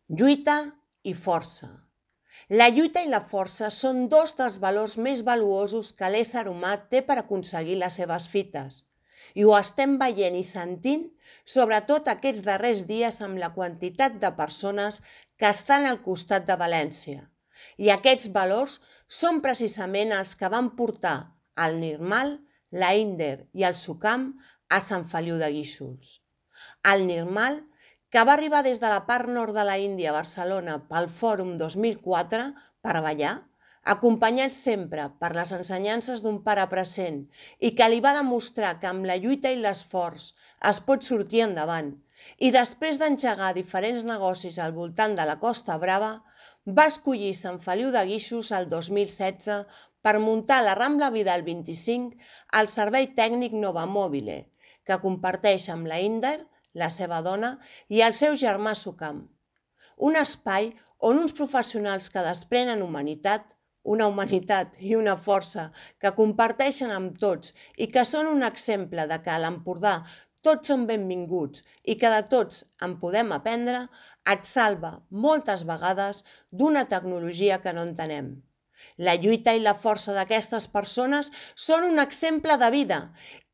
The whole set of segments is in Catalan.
Lluita i força. La lluita i la força són dos dels valors més valuosos que l'ésser humà té per aconseguir les seves fites. I ho estem veient i sentint, sobretot aquests darrers dies amb la quantitat de persones que estan al costat de València. I aquests valors són precisament els que van portar el Nirmal, l'Einder i el Sucam a Sant Feliu de Guíxols. El Nirmal, que va arribar des de la part nord de la Índia a Barcelona pel Fòrum 2004 per ballar, acompanyat sempre per les ensenyances d'un pare present i que li va demostrar que amb la lluita i l'esforç es pot sortir endavant, i després d'engegar diferents negocis al voltant de la Costa Brava, va escollir Sant Feliu de Guíxols el 2016 per muntar la Rambla Vidal 25 al servei tècnic Novamòbile, que comparteix amb la Índer, la seva dona, i el seu germà Sucam. Un espai on uns professionals que desprenen humanitat, una humanitat i una força que comparteixen amb tots i que són un exemple de que a l'Empordà tots són benvinguts i que de tots en podem aprendre, et salva moltes vegades d'una tecnologia que no entenem. La lluita i la força d'aquestes persones són un exemple de vida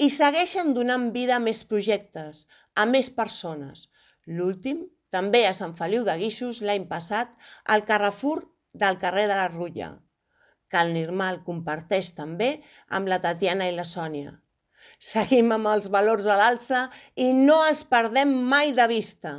i segueixen donant vida a més projectes, a més persones. L'últim, també a Sant Feliu de Guíxols l'any passat, al Carrefour del carrer de la Rutlla, que el Nirmal comparteix també amb la Tatiana i la Sònia. Seguim amb els valors a l'alça i no els perdem mai de vista.